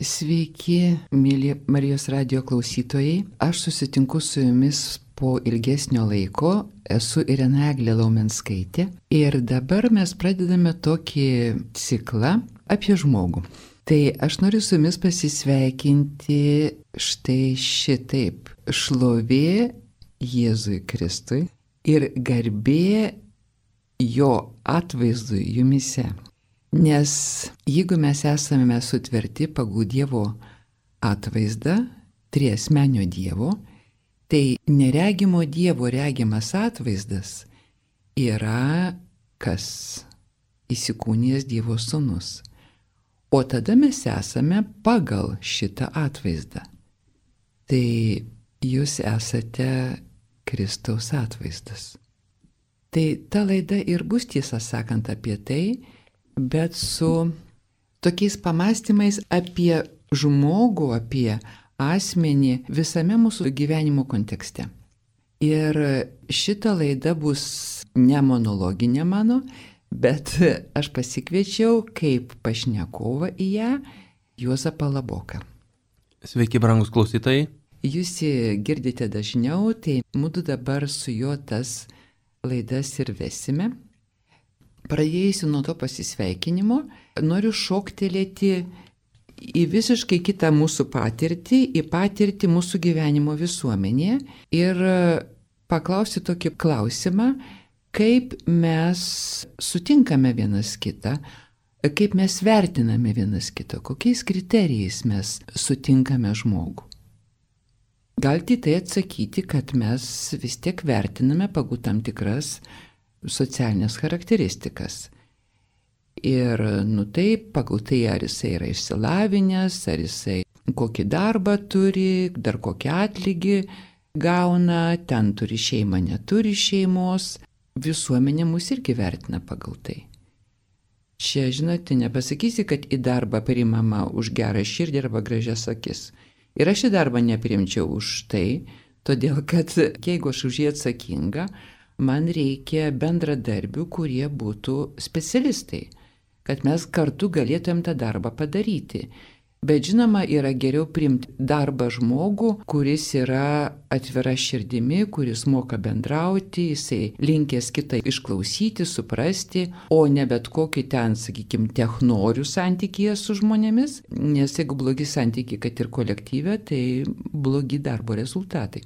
Sveiki, mėly Marijos radijo klausytojai. Aš susitinku su jumis po ilgesnio laiko. Esu Irena Eglė Laumenskaitė. Ir dabar mes pradedame tokį ciklą apie žmogų. Tai aš noriu su jumis pasisveikinti štai šitaip. Šlovė Jėzui Kristui ir garbė jo atvaizdui jumise. Nes jeigu mes esame sutverti pagal Dievo atvaizdą, triasmenio Dievo, tai neregimo Dievo regimas atvaizdas yra kas? Įsikūnijęs Dievo sūnus. O tada mes esame pagal šitą atvaizdą. Tai jūs esate Kristaus atvaizdas. Tai ta laida ir bus, tiesą sakant, apie tai, bet su tokiais pamastymais apie žmogų, apie asmenį visame mūsų gyvenimo kontekste. Ir šita laida bus ne monologinė mano, bet aš pasikviečiau kaip pašnekovą į ją Juozapą Laboką. Sveiki, brangus klausytojai. Jūs girdite dažniau, tai mūdu dabar su juo tas laidas ir vesime. Pradėjusi nuo to pasisveikinimo, noriu šoktelėti į visiškai kitą mūsų patirtį, į patirtį mūsų gyvenimo visuomenėje ir paklausti tokį klausimą, kaip mes sutinkame vienas kitą, kaip mes vertiname vienas kitą, kokiais kriterijais mes sutinkame žmogų. Galite tai atsakyti, kad mes vis tiek vertiname pagal tam tikras socialinės charakteristikas. Ir tai pagal tai, ar jisai yra išsilavinęs, ar jisai kokį darbą turi, dar kokį atlygį gauna, ten turi šeimą, neturi šeimos. Visuomenė mus irgi vertina pagal tai. Čia, žinote, nepasakysi, kad į darbą priimama už gerą širdį arba gražias akis. Ir aš į darbą neprimčiau už tai, todėl kad jeigu aš už jį atsakinga, man reikia bendradarbių, kurie būtų specialistai, kad mes kartu galėtumėm tą darbą padaryti. Bet žinoma, yra geriau priimti darbą žmogų, kuris yra atvira širdimi, kuris moka bendrauti, jisai linkęs kitą išklausyti, suprasti, o ne bet kokį ten, sakykime, technorių santykyje su žmonėmis, nes jeigu blogi santykiai, kad ir kolektyve, tai blogi darbo rezultatai.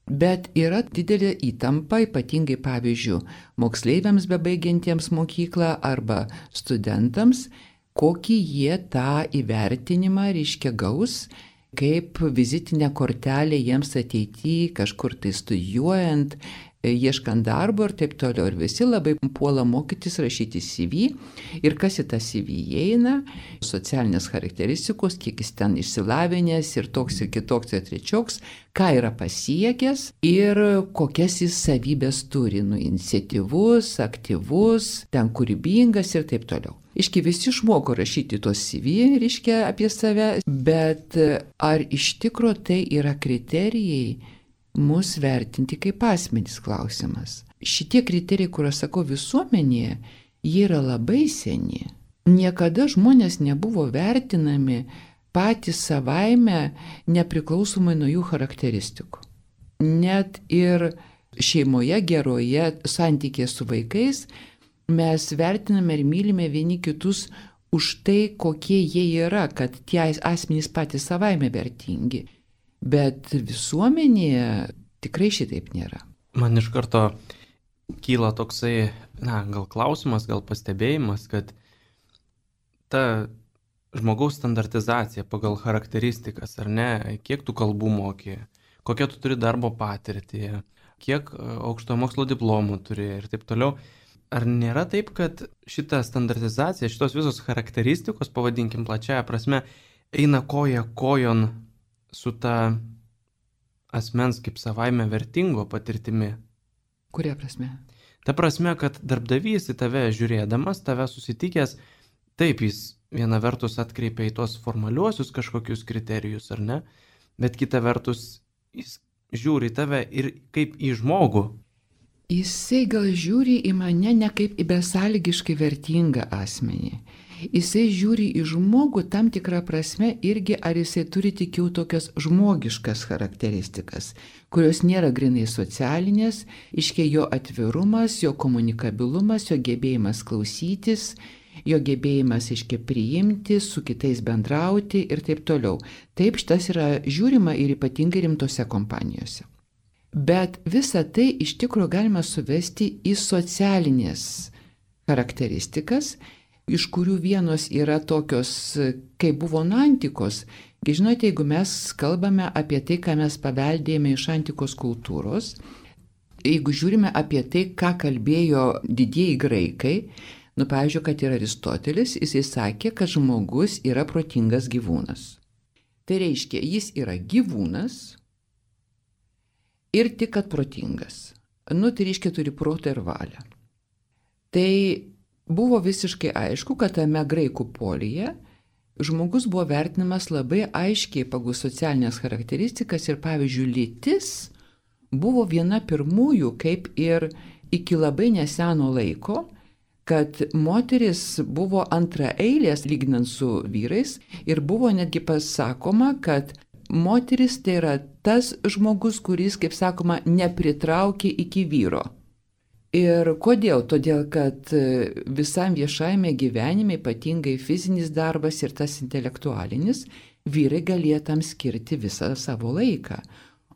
Bet yra didelė įtampa, ypatingai pavyzdžiui, moksleiviams bebaigiantiems mokyklą arba studentams, kokį jie tą įvertinimą reiškia gaus, kaip vizitinę kortelę jiems ateityje, kažkur tai studijuojant, ieškant darbo ir taip toliau. Ir visi labai puola mokytis rašyti CV. Ir kas į tą CV įeina, socialinės charakteristikos, kiek jis ten išsilavinęs ir toks ir kitoks ir trečioks, ką yra pasiekęs ir kokias jis savybės turi, iniciatyvus, aktyvus, ten kūrybingas ir taip toliau. Iški visi išmoko rašyti tos CV, reiškia, apie save, bet ar iš tikro tai yra kriterijai mus vertinti kaip asmenys klausimas? Šitie kriterijai, kur aš sakau visuomenėje, jie yra labai seni. Niekada žmonės nebuvo vertinami patys savaime nepriklausomai nuo jų charakteristikų. Net ir šeimoje geroje santykėje su vaikais mes vertiname ir mylime vieni kitus už tai, kokie jie yra, kad tie asmenys patys savaime vertingi. Bet visuomenėje tikrai šitaip nėra. Man iš karto kyla toksai, gal klausimas, gal pastebėjimas, kad ta žmogaus standartizacija pagal charakteristikas, ar ne, kiek tu kalbų moki, kokią tu turi darbo patirtį, kiek aukštojo mokslo diplomų turi ir taip toliau. Ar nėra taip, kad šita standartizacija, šitos visos charakteristikos, pavadinkim plačiaja prasme, eina koja kojon su ta asmens kaip savaime vertingo patirtimi? Kuria prasme? Ta prasme, kad darbdavys į tave žiūrėdamas, tave susitikęs, taip jis viena vertus atkreipia į tuos formaliuosius kažkokius kriterijus, ar ne, bet kita vertus jis žiūri į tave ir kaip į žmogų. Jisai gal žiūri į mane ne kaip į besąlygiškai vertingą asmenį. Jisai žiūri į žmogų tam tikrą prasme irgi, ar jisai turi tik jau tokias žmogiškas charakteristikas, kurios nėra grinai socialinės, iškia jo atvirumas, jo komunikabilumas, jo gebėjimas klausytis, jo gebėjimas iškia priimti, su kitais bendrauti ir taip toliau. Taip šitas yra žiūrima ir ypatingai rimtose kompanijose. Bet visą tai iš tikrųjų galima suvesti į socialinės charakteristikas, iš kurių vienos yra tokios, kaip buvo nuo antikos. Žinote, jeigu mes kalbame apie tai, ką mes paveldėjome iš antikos kultūros, jeigu žiūrime apie tai, ką kalbėjo didieji graikai, pavyzdžiui, kad ir Aristotelis, jisai sakė, kad žmogus yra protingas gyvūnas. Tai reiškia, jis yra gyvūnas ir tik kad protingas. Tai reiškia, turi protą ir valią. Tai buvo visiškai aišku, kad tame graikų polyje žmogus buvo vertinamas labai aiškiai pagal socialinės charakteristikas ir, pavyzdžiui, lytis buvo viena pirmųjų, kaip ir iki labai neseno laiko, kad moteris buvo antraeilės lyginant su vyrais ir buvo netgi pasakoma, kad moteris tai yra tas žmogus, kuris, kaip sakoma, nepritraukia iki vyro. Ir kodėl? Todėl, kad visam viešajame gyvenime, ypatingai fizinis darbas ir tas intelektualinis, vyrai galėjo tam skirti visą savo laiką.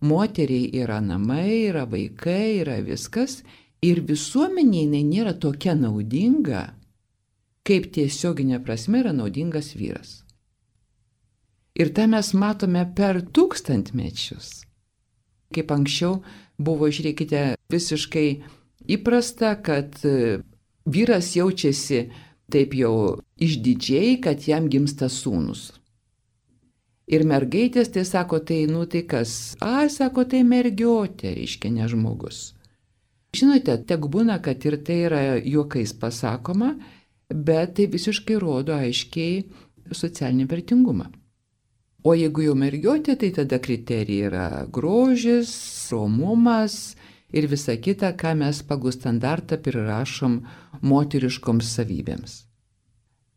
Moteriai yra namai, yra vaikai, yra viskas. Ir visuomenė nėra tokia naudinga, kaip tiesioginė prasme yra naudingas vyras. Ir tą mes matome per tūkstantmečius. Kaip anksčiau buvo, žiūrėkite, visiškai įprasta, kad vyras jaučiasi taip jau išdidžiai, kad jam gimsta sūnus. Ir mergaitės tai sako, tai kas? Sako, tai mergiotė, reiškia ne žmogus. Žinote, tek būna, kad ir tai yra juokais pasakoma, bet tai visiškai rodo aiškiai socialinį vertingumą. O jeigu jau mergiotė, tai tada kriterijai yra grožis, romumas ir visa kita, ką mes pagal standartą prirašom moteriškoms savybėms.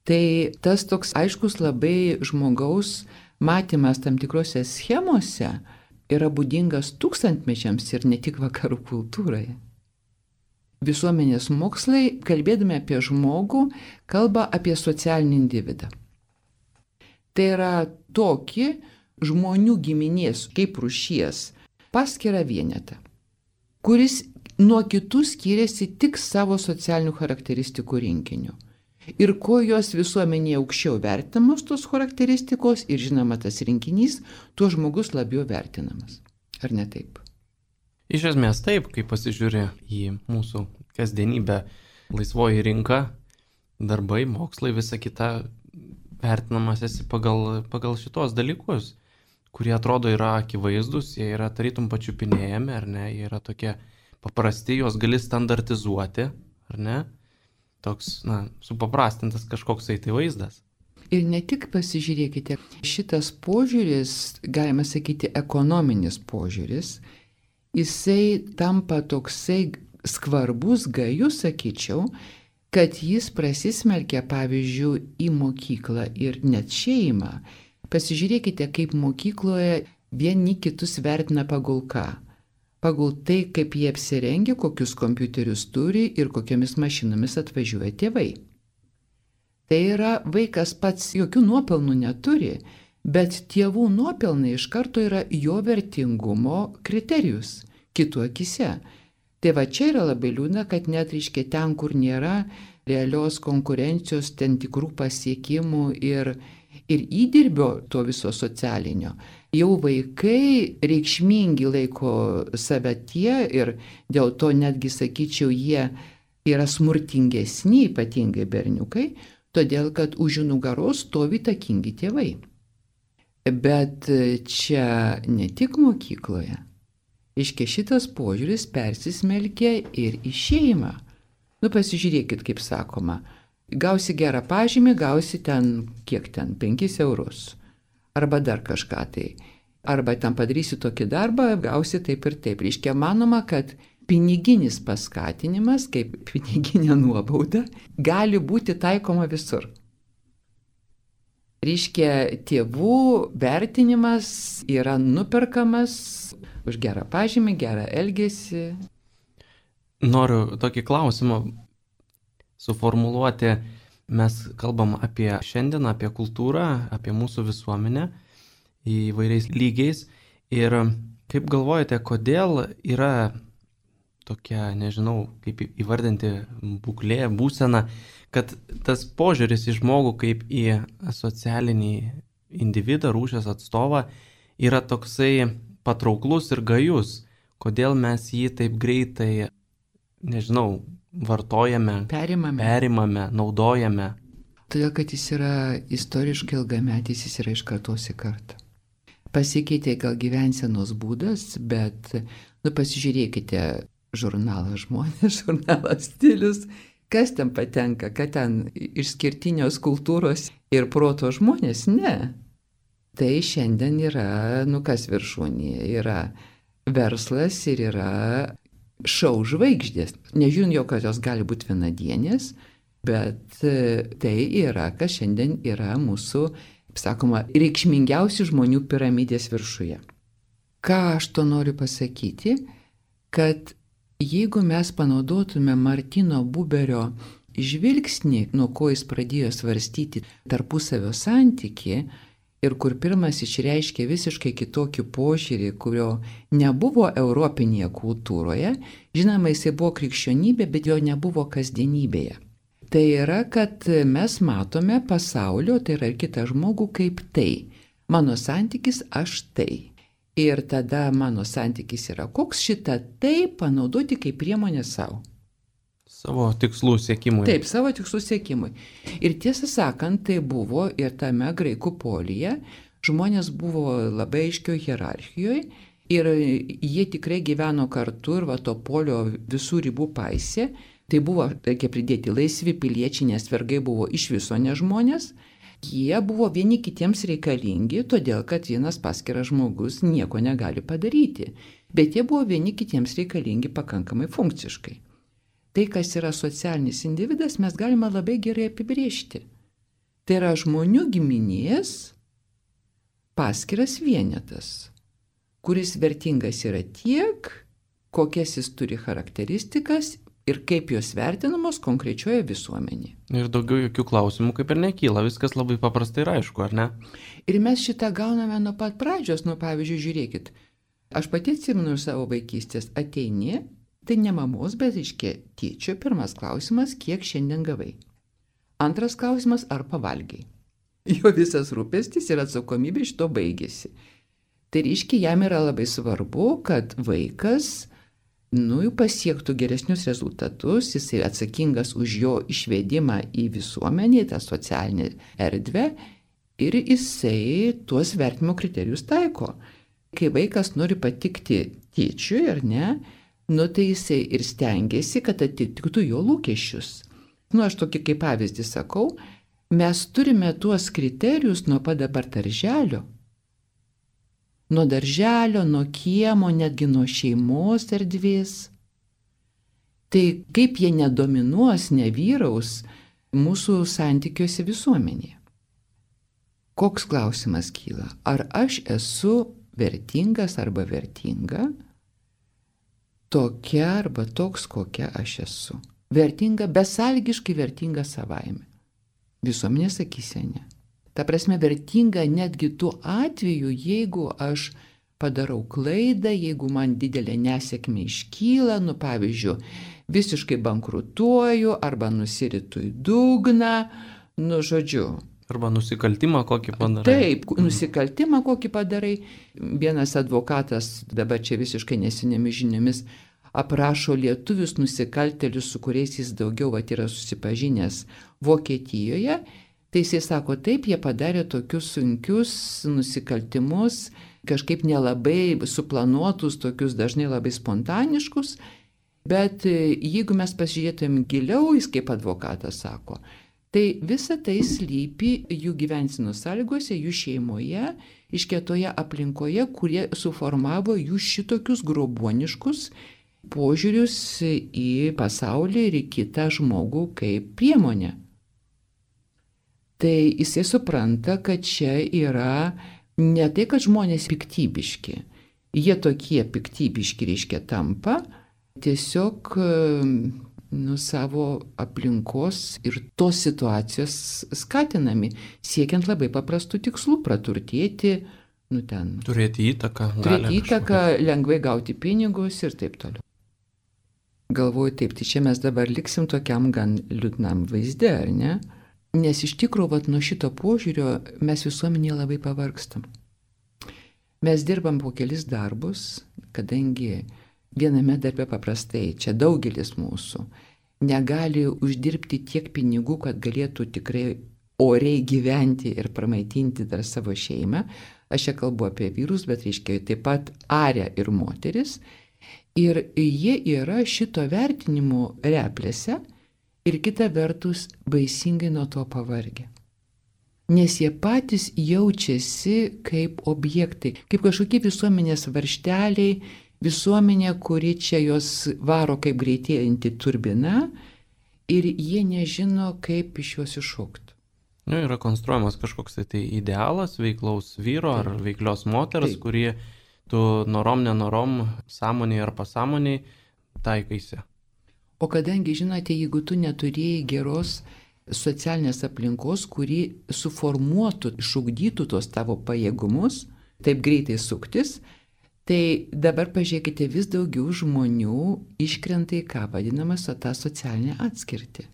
Tai tas toks aiškus labai žmogaus matymas tam tikrose schemose yra būdingas tūkstantmečiams ir ne tik vakarų kultūroje. Visuomenės mokslai, kalbėdami apie žmogų, kalba apie socialinį individą. Tai yra tokį žmonių giminės kaip rūšies paskirą vienetą, kuris nuo kitų skiriasi tik savo socialinių charakteristikų rinkiniu. Ir kuo jos visuomenėje aukščiau vertinamos tos charakteristikos ir žinoma tas rinkinys, tuo žmogus labiau vertinamas. Ar ne taip? Iš esmės taip, kai pasižiūri į mūsų kasdienybę, laisvoji rinka, darbai, mokslai, visa kita, vertinamas esi pagal šitos dalykus, kurie atrodo yra akivaizdus, jie yra tarytum pačiupinėjami, ar ne, jie yra tokie paprasti, juos gali standartizuoti, ar ne, toks, supaprastintas kažkoks tai vaizdas. Ir ne tik pasižiūrėkite, šitas požiūris, galima sakyti, ekonominis požiūris, jisai tampa toksai skvarbus, gajus, sakyčiau, kad jis prasismelkia, pavyzdžiui, į mokyklą ir net šeimą. Pasižiūrėkite, kaip mokykloje vieni kitus vertina pagal ką. Pagal tai, kaip jie apsirengia, kokius kompiuterius turi ir kokiamis mašinomis atvažiuoja tėvai. Tai yra, vaikas pats jokių nuopelnų neturi, bet tėvų nuopelnai iš karto yra jo vertingumo kriterijus kitų akise. Tai va čia yra labai liūdna, kad net reiškia ten, kur nėra realios konkurencijos, ten tikrų pasiekimų ir įdirbio to viso socialinio. Jau vaikai reikšmingi laiko save tie ir dėl to netgi, sakyčiau, jie yra smurtingesni, ypatingai berniukai, todėl kad už jų nugaros stovi įtakingi tėvai. Bet čia ne tik mokykloje. Iškia šitas požiūris persismelkia ir į šeimą. Pasižiūrėkit, kaip sakoma, gausi gerą pažymį, gausi ten, kiek ten, 5 eurus. Arba dar kažką tai. Arba ten padarysi tokį darbą, gausi taip ir taip. Iškia manoma, kad piniginis paskatinimas, kaip piniginė nuobauda, gali būti taikoma visur. Reiškia, tėvų vertinimas yra nuperkamas už gerą pažymį, gerą elgesį. Noriu tokį klausimą suformuluoti. Mes kalbam apie šiandieną, apie kultūrą, apie mūsų visuomenę įvairiais lygiais. Ir kaip galvojate, kodėl yra tokia, nežinau, kaip įvardinti būklė, būsena, kad tas požiūris į žmogų kaip į socialinį individą, rūšies atstovą yra toksai patrauklus ir gajus. Kodėl mes jį taip greitai, nežinau, vartojame, perimame, naudojame? Todėl, kad jis yra istoriškai ilgametis, jis yra iš kartos į kartą. Pasikeitė gal gyvensenos būdas, bet, pasižiūrėkite žurnalą Žmonės, žurnalą Stilius, kas ten patenka, kad ten išskirtinios kultūros ir proto žmonės, ne. Tai šiandien yra, kas viršūnėje, yra verslas ir yra šou žvaigždės. Nežiūrint jau, kad jos gali būti vienadienės, bet tai yra, kas šiandien yra mūsų, kaip sakoma, reikšmingiausių žmonių piramidės viršuje. Ką aš to noriu pasakyti, kad jeigu mes panaudotume Martino Buberio žvilgsnį, nuo ko jis pradėjo svarstyti tarpusavio santykį, ir kur pirmas išreiškė visiškai kitokį požiūrį, kurio nebuvo europinėje kultūroje, žinoma, jisai buvo krikščionybė, bet jo nebuvo kasdienybėje. Tai yra, kad mes matome pasaulio, tai yra ir kitą žmogų kaip tai. Mano santykis aš tai. Ir tada mano santykis yra koks, šitą tai panaudoti kaip priemonę savo. Savo tikslų siekimui. Taip, savo tikslų siekimui. Ir tiesą sakant, tai buvo ir tame graikų polyje. Žmonės buvo labai aiškioje hierarchijoje ir jie tikrai gyveno kartu ir to polio visų ribų paisė. Tai buvo, reikia pridėti, laisvi piliečiai, nes vergai buvo iš viso ne žmonės. Jie buvo vieni kitiems reikalingi, todėl kad vienas paskiras žmogus nieko negali padaryti. Bet jie buvo vieni kitiems reikalingi pakankamai funkciškai. Tai, kas yra socialinis individas, mes galime labai gerai apibrėžti. Tai yra žmonių giminės paskiras vienetas, kuris vertingas yra tiek, kokias jis turi charakteristikas ir kaip jos vertinamos konkrečioje visuomenėje. Ir daugiau jokių klausimų kaip ir nekyla, viskas labai paprastai ir aišku, ar ne? Ir mes šitą gauname nuo pat pradžios, pavyzdžiui, žiūrėkit, aš pati atsimenu iš savo vaikystės, ateini, tai ne mamos, bet iškia tėčio, pirmas klausimas, kiek šiandien gavai. Antras klausimas, ar pavalgiai. Jo visas rūpestis ir atsakomybė iš to baigėsi. Tai reiškia, jam yra labai svarbu, kad vaikas pasiektų geresnius rezultatus, jisai atsakingas už jo išvedimą į visuomenį, tą socialinę erdvę ir jisai tuos vertinimo kriterijus taiko. Kai vaikas nori patikti tėčiui, ar ne, tai jisai ir stengiasi, kad atitiktų jo lūkesčius. Aš tokį kaip pavyzdį sakau, mes turime tuos kriterijus nuo pat dabar darželio. Nuo darželio, nuo kiemo, netgi nuo šeimos erdvės. Tai kaip jie nedominuos, nevyraus mūsų santykiuose visuomenėje. Koks klausimas kyla? Ar aš esu vertingas arba vertinga? Tokia arba toks, kokia aš esu. Vertinga, besąlygiškai vertinga savaime. Visuomenės akyse ne. Ta prasme, vertinga netgi tuo atveju, jeigu aš padarau klaidą, jeigu man didelė nesėkmė iškyla, pavyzdžiui, visiškai bankrutuoju arba nusiritu į dugną, žodžiu. Arba nusikaltimą kokį padarai. Taip, nusikaltimą kokį padarai. Vienas advokatas, dabar čia visiškai nesenėmis žiniomis, aprašo lietuvius nusikaltėlius, su kuriais jis daugiau yra susipažinęs Vokietijoje. Tai jisai sako, taip, jie padarė tokius sunkius nusikaltimus, kažkaip nelabai suplanuotus, tokius dažnai labai spontaniškus, bet jeigu mes pasižiūrėtumėm giliau, jis kaip advokatas sako, tai visa tai slypi jų gyvensenos sąlygose, jų šeimoje, išketoje aplinkoje, kurie suformavo jų šitokius grobuoniškus požiūrius į pasaulį ir į kitą žmogų kaip priemonę. tai jisai supranta, kad čia yra ne tai, kad žmonės piktybiški. Jie tokie piktybiški, reiškia, tampa tiesiog savo aplinkos ir tos situacijos skatinami, siekiant labai paprastų tikslų - praturtėti, turėti įtaką, lengvai gauti pinigus ir taip toliau. Galvoju taip, tai čia mes dabar liksim tokiam gan liūdnam vaizde, ar ne? Nes iš tikrųjų, nuo šito požiūrio mes visuomenėje labai pavargstam. Mes dirbam po kelis darbus, kadangi viename darbe paprastai, čia daugelis mūsų, negali uždirbti tiek pinigų, kad galėtų tikrai oriai gyventi ir pramaitinti dar savo šeimą. Aš čia kalbu apie vyrus, bet reiškia taip pat arę ir moteris. Ir jie yra šito vertinimo replėse ir kita vertus baisingai nuo to pavargę. Nes jie patys jaučiasi kaip objektai, kaip kažkokie visuomenės varžteliai, visuomenė, kuri čia jos varo kaip greitėjanti turbina ir jie nežino, kaip iš jos iššokti. Yra konstruojamas kažkoks tai idealas veiklaus vyro ar veiklios moters, kurie tu norom, nenorom, sąmoniai ar pasąmoniai taikaisi. O kadangi, žinote, jeigu tu neturėjai geros socialinės aplinkos, kuri suformuotų, išugdytų tos tavo pajėgumus, taip greitai suktis, tai dabar pažiūrėkite, vis daugiau žmonių iškrenta į ką vadinamas tą socialinę atskirtį.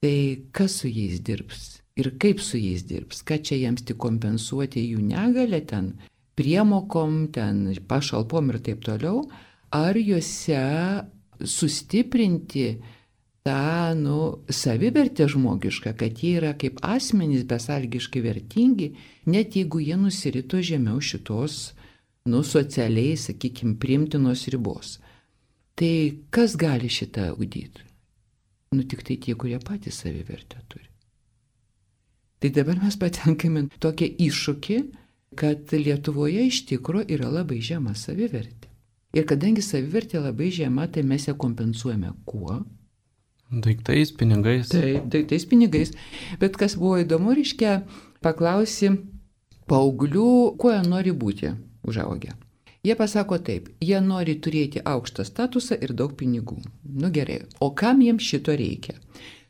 Tai kas su jais dirbs ir kaip su jais dirbs, ką čia jiems tik kompensuoti jų negalę ten, priemokom, ten pašalpom ir taip toliau, ar juose sustiprinti tą, savivertę žmogišką, kad jie yra kaip asmenys besąlygiškai vertingi, net jeigu jie nusirito žemiau šitos, socialiai, sakykime, priimtinos ribos. Tai kas gali šitą ugdyti? Tik tai tie, kurie patys savivertę turi. Tai dabar mes patenkame tokią iššūkį, kad Lietuvoje iš tikro yra labai žema savivertė. Ir kadangi savivertė labai žema, tai mes ją kompensuojame kuo? Daiktais, pinigais. Taip, daiktais, pinigais. Bet kas buvo įdomu, reiškia, paklausi paauglių, kuo jie nori būti užaugę. Jie pasako taip, jie nori turėti aukštą statusą ir daug pinigų. Gerai, o kam jiems šito reikia?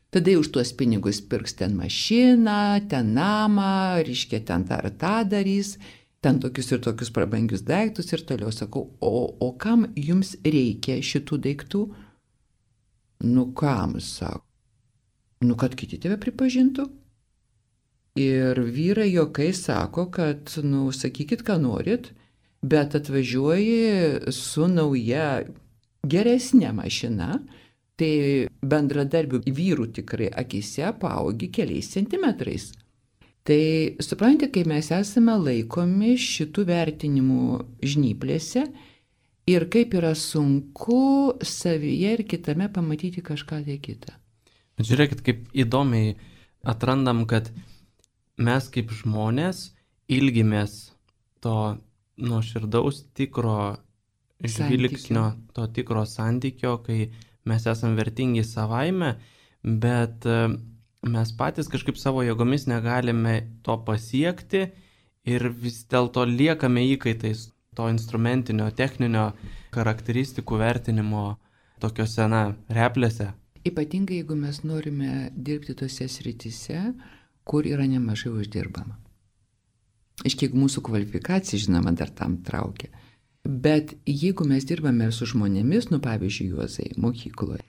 Tada už tuos pinigus pirks ten mašiną, ten namą, reiškia, ten tą ar tą darys, ten tokius ir tokius prabangius daiktus ir toliau sakau, o kam jums reikia šitų daiktų? Kam, sako? Kad kiti tave pripažintų. Ir vyrai juokai sako, kad, sakykit, ką norit, bet atvažiuoji su nauja geresnė mašina, tai bendradarbių vyrų tikrai akise paaugi keliais centimetrais. Tai suprantate, kai mes esame laikomi šitų vertinimų žnyplėse ir kaip yra sunku savyje ir kitame pamatyti kažką tai kitą. Žiūrėkit, kaip įdomiai atrandam, kad mes kaip žmonės ilgimės to nuoširdaus tikro žvilgsnio, to tikro santykio, kai mes esame vertingi savaime, bet mes patys kažkaip savo jėgomis negalime to pasiekti ir vis dėlto liekame įkaitais to instrumentinio, techninio charakteristikų vertinimo tokiuose, replėse. Ypatingai, jeigu mes norime dirbti tose srityse, kur yra nemažai uždirbama. Aiškiai, mūsų kvalifikacija, žinoma, dar tam traukia. Bet jeigu mes dirbame su žmonėmis, pavyzdžiui, Juozai, mokykloje,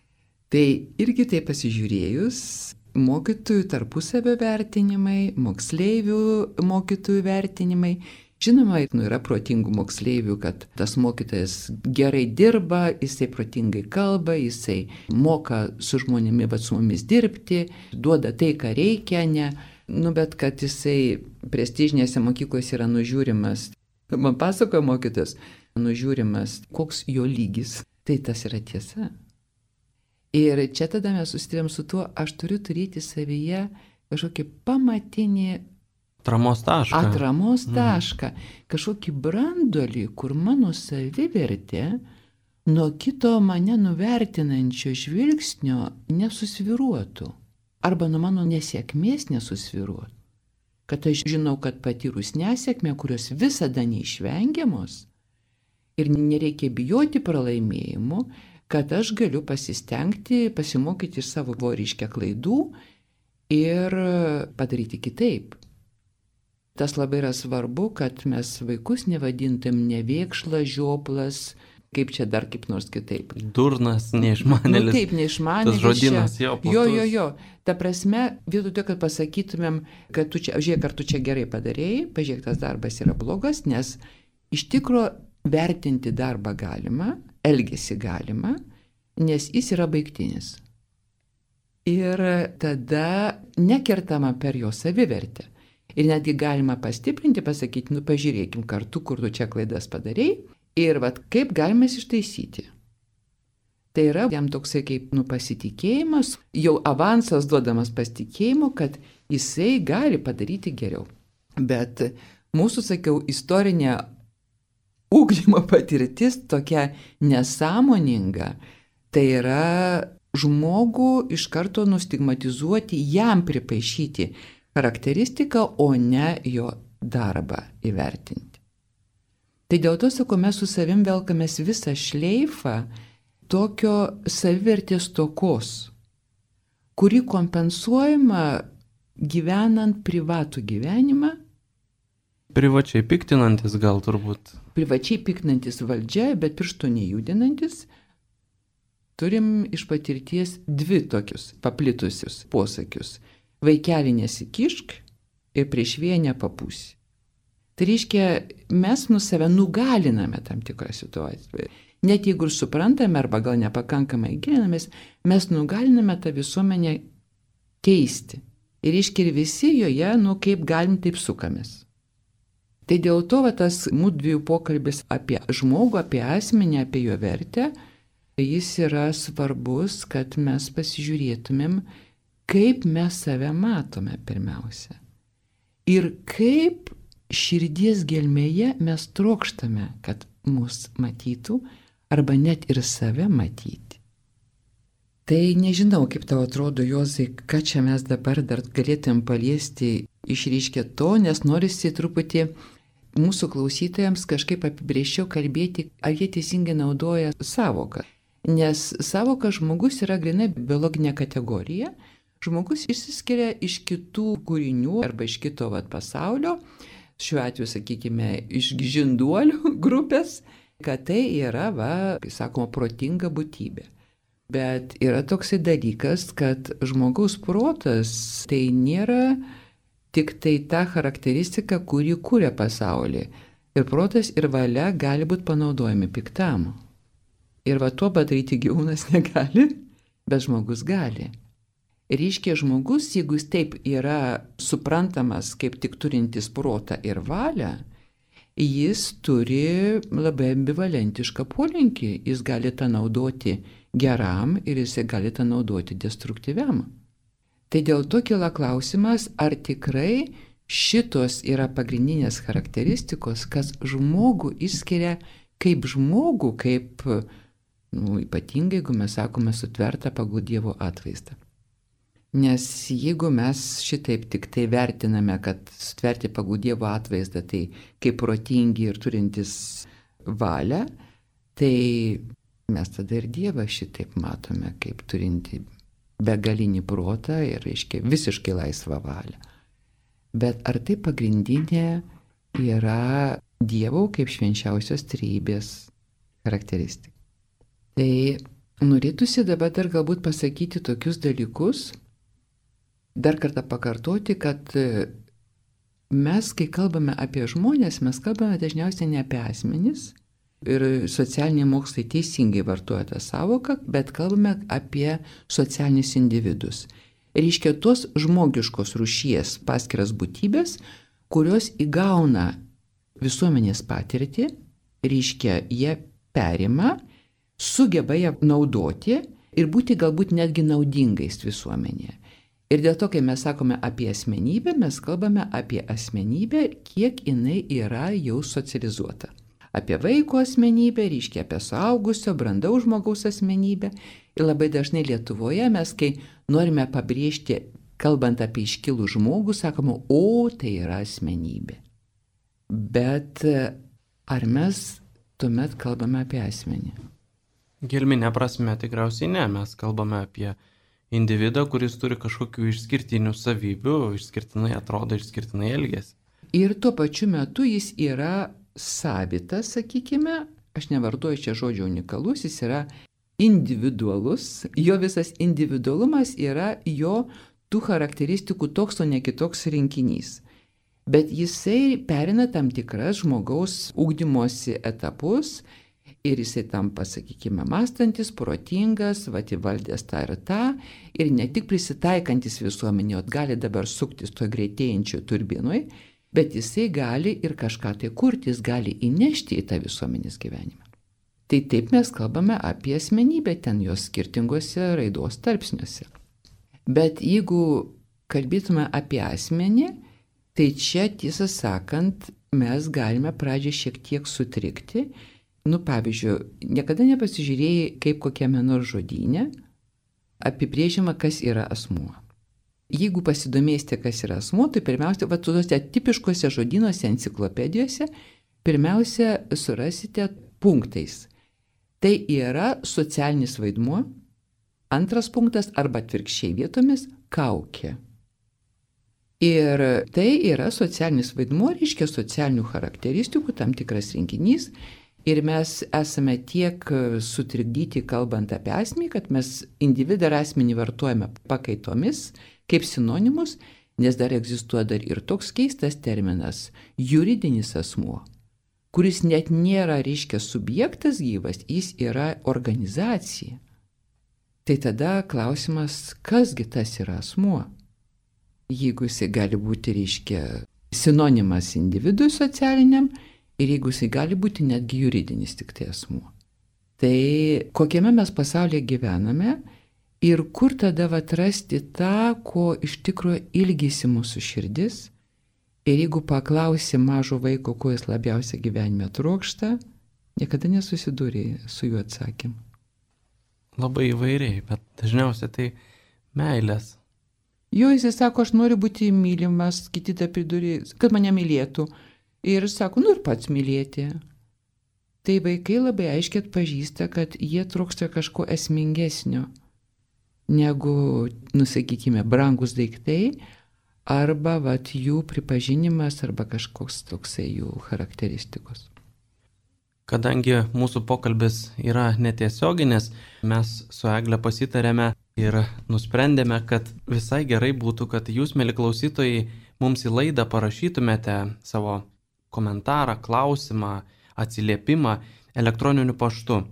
tai irgi tai pasižiūrėjus, mokytojų tarpusavio vertinimai, moksleivių mokytojų vertinimai, žinoma, yra protingų moksleivių, kad tas mokytojas gerai dirba, jisai protingai kalba, jisai moka su žmonėmis, bet su mumis dirbti, duoda tai, ką reikia, ne. Bet kad jisai prestižinėse mokyklose yra nužiūrimas, man pasakoja mokytojas, nužiūrimas, koks jo lygis, tai tas yra tiesa. Ir čia tada mes susidurėm su tuo, aš turiu turėti savyje kažkokį pamatinį atramos tašką, kažkokį brandolį, kur mano savivertė nuo kito mane nuvertinančio žvilgsnio nesusviruotų. Arba nuo mano nesėkmės nesusviruotų. kad aš žinau, kad patyrus nesėkmę, kurios visada neišvengiamos ir nereikia bijoti pralaimėjimų, kad aš galiu pasistengti, pasimokyti iš savo ryškia klaidų ir padaryti kitaip. Tas labai yra svarbu, kad mes vaikus nevadintum nevėkšlas, žioplas, kaip čia dar kaip nors kitaip. Durnas, neišmanėlis. Taip, neišmanėlis. Tas žodynas jo platus. Jo. Ta prasme, vietoj to, kad pasakytumėm, kad tu čia, žiūrėk, ar tu čia gerai padarėjai, pažiūrėk, tas darbas yra blogas, nes iš tikro vertinti darbą galima, elgesį galima, nes jis yra baigtinis. Ir tada nekertama per jo savivertę. Ir netgi galima pastiprinti, pasakyti, pažiūrėkim kartu, kur tu čia klaidas padarėjai ir kaip galime ištaisyti. Tai yra jam toksai kaip pasitikėjimas, jau avansas duodamas pasitikėjimo, kad jisai gali padaryti geriau. Bet mūsų, sakiau, istorinė ugdymo patirtis tokia nesąmoninga, tai yra žmogų iš karto nustigmatizuoti, jam pripaišyti charakteristiką, o ne jo darbą įvertinti. Tai dėl to, sako, mes su savim velkamės visą šleifą tokio savivertės stokos, kuri kompensuojama gyvenant privatų gyvenimą. Privačiai piktinantis gal turbūt. Privačiai piktinantis valdžia, bet piršto nejudinantis. Turim iš patirties dvi tokius paplitusius posakius. Vaikelį nesikišk ir prieš vėją nepapūsi. Tai reiškia, mes save nugaliname tam tikrą situaciją. Net jeigu ir suprantame arba gal nepakankamai gilinamės, mes nugaliname tą visuomenę keisti. Ir reiškia, ir visi joje, kaip galim, taip sukamės. Tai dėl to tas mūsų dviejų pokalbis apie žmogų, apie asmenį, apie jo vertę, jis yra svarbus, kad mes pasižiūrėtumėm, kaip mes save matome pirmiausia. Ir kaip širdies gelmėje mes trokštame, kad mus matytų, arba net ir save matyti. Tai nežinau, kaip tau atrodo, Juozai, ką čia mes dabar dar galėtum paliesti išryškę to, nes norisi truputį mūsų klausytojams kažkaip apibrėžčiau kalbėti, ar jie teisingai naudoja sąvoką. Nes sąvoka žmogus yra grynai biologinė kategorija. Žmogus išsiskiria iš kitų kūrinių arba iš kito pasaulio, šiuo atveju, sakykime, iš žinduolių grupės, kad tai yra, kaip sakoma, protinga būtybė. Bet yra toksai dalykas, kad žmogaus protas tai nėra tik tai ta charakteristika, kuri kūrė pasaulį. Ir protas ir valia gali būti panaudojami piktam. Ir tuo padaryti gyvūnas negali, bet žmogus gali. Reiškia, žmogus, jeigu jis taip yra suprantamas kaip tik turintis protą ir valią, jis turi labai ambivalentišką polinkį. Jis gali tą naudoti geram ir jis gali tą naudoti destruktyviam. Tai dėl to kyla klausimas, ar tikrai šitos yra pagrindinės charakteristikos, kas žmogų išskiria kaip žmogų, kaip, ypatingai, jeigu mes sakome, sutvertą pagal Dievo atvaizdą. Nes jeigu mes šitaip tik tai vertiname, kad sutverti pagal Dievo atvaizdą, tai kaip protingi ir turintis valią, tai mes tada ir Dievą šitaip matome, kaip turinti begalinį protą ir, reiškia, visiškai laisvą valią. Bet ar tai pagrindinė yra Dievo kaip švenčiausios trejybės charakteristika? Tai norėtųsi dabar dar galbūt pasakyti tokius dalykus, dar kartą pakartoti, kad mes, kai kalbame apie žmonės, mes kalbame dažniausiai ne apie asmenis, ir socialiniai mokslai teisingai vartoja tą savoką, bet kalbame apie socialinius individus. Reiškia, tos žmogiškos rūšies paskiras būtybės, kurios įgauna visuomenės patirtį, reiškia, jie perima, sugeba ją naudoti ir būti galbūt netgi naudingais visuomenėje. Ir dėl to, kai mes sakome apie asmenybę, mes kalbame apie asmenybę, kiek jinai yra jau socializuota. Apie vaiko asmenybę, reiškia apie suaugusio, brandaus žmogaus asmenybę. Ir labai dažnai Lietuvoje mes, kai norime pabrėžti kalbant apie iškilų žmogų, sakoma, o tai yra asmenybė. Bet ar mes tuomet kalbame apie asmenį? Gelminė prasme tikriausiai ne, mes kalbame apie individą, kuris turi kažkokių išskirtinių savybių, išskirtinai atrodo, išskirtinai elgiasi. Ir tuo pačiu metu jis yra savitas, sakykime, aš nevartoju čia žodžio unikalus, jis yra individualus, jo visas individualumas yra jo tų charakteristikų toks, o ne kitoks rinkinys. Bet jisai perina tam tikras žmogaus ugdymosi etapus ir jisai tampa, sakykime, mąstantis, protingas, įvaldęs tą ir tą, ir ne tik prisitaikantis visuomenė, gali dabar suktis to greitėjančio turbinui, bet jisai gali ir kažką tai kurti, jis gali įnešti į tą visuomenės gyvenimą. Tai taip mes kalbame apie asmenybę ten jos skirtingose raidos tarpsniuose. Bet jeigu kalbėtume apie asmenį, tai čia, tiesą sakant, mes galime pradžią šiek tiek sutrikti. Pavyzdžiui, niekada nepasižiūrėjai, kaip kokiame nors žodyne apibrėžiama, kas yra asmuo. Jeigu pasidomėsite, kas yra asmuo, tai pirmiausia, tuose tipiškose žodynuose, enciklopedijose, pirmiausia surasite punktais. Tai yra socialinis vaidmuo, antras punktas arba atvirkščiai vietomis kaukė. Ir tai yra socialinis vaidmuo, reiškia socialinių charakteristikų, tam tikras rinkinys. Ir mes esame tiek sutrikdyti, kalbant apie asmenį, kad mes individą ir asmenį vartojame pakaitomis, kaip sinonimus, nes dar egzistuoja dar ir toks keistas terminas – juridinis asmuo, kuris net nėra, reiškia, subjektas gyvas, jis yra organizacija. Tai tada klausimas, kasgi tas yra asmuo? Jeigu jisai gali būti, reiškia, sinonimas individui socialiniam, ir jeigu jisai gali būti netgi juridinis tik tai asmuo. Tai kokiame mes pasaulyje gyvename ir kur tada atrasti tą, ko iš tikrųjų ilgisi mūsų širdis. Ir jeigu paklausi mažo vaiko, ko jis labiausiai gyvenime trokšta, niekada nesusidūrė su juo atsakymu. Labai įvairiai, bet dažniausiai tai meilės. Jo, jis sako, aš noriu būti mylimas, kiti tą pridurė, kad mane mylėtų. Ir sako, ir pats mylėti. Tai vaikai labai aiškiai atpažįsta, kad jie trokšta kažko esmingesnio, negu, sakykime, brangus daiktai, arba jų pripažinimas, arba kažkoks toksai jų charakteristikos. Kadangi mūsų pokalbis yra netiesioginis, mes su Egle pasitarėme ir nusprendėme, kad visai gerai būtų, kad jūs, mieli klausytojai, mums į laidą parašytumėte savo komentarą, klausimą, atsiliepimą elektroniniu paštu.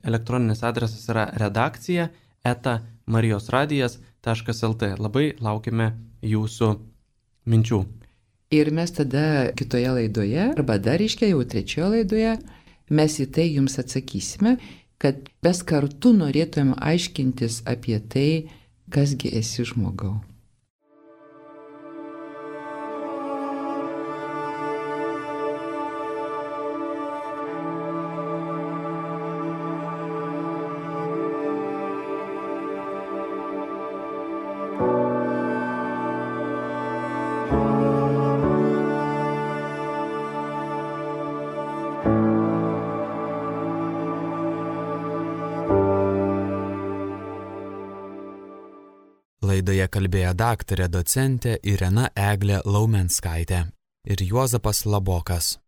Elektroninis adresas yra redakcija@marijosradijas.lt. Labai laukime jūsų minčių. Ir mes tada kitoje laidoje, arba dar reiškia jau trečioje laidoje, mes į tai jums atsakysime, kad mes kartu norėtume aiškintis apie tai, kasgi esi žmogau. Laidoje kalbėjo daktarė docentė Irena Eglė Laumenskaitė ir Juozapas Labokas.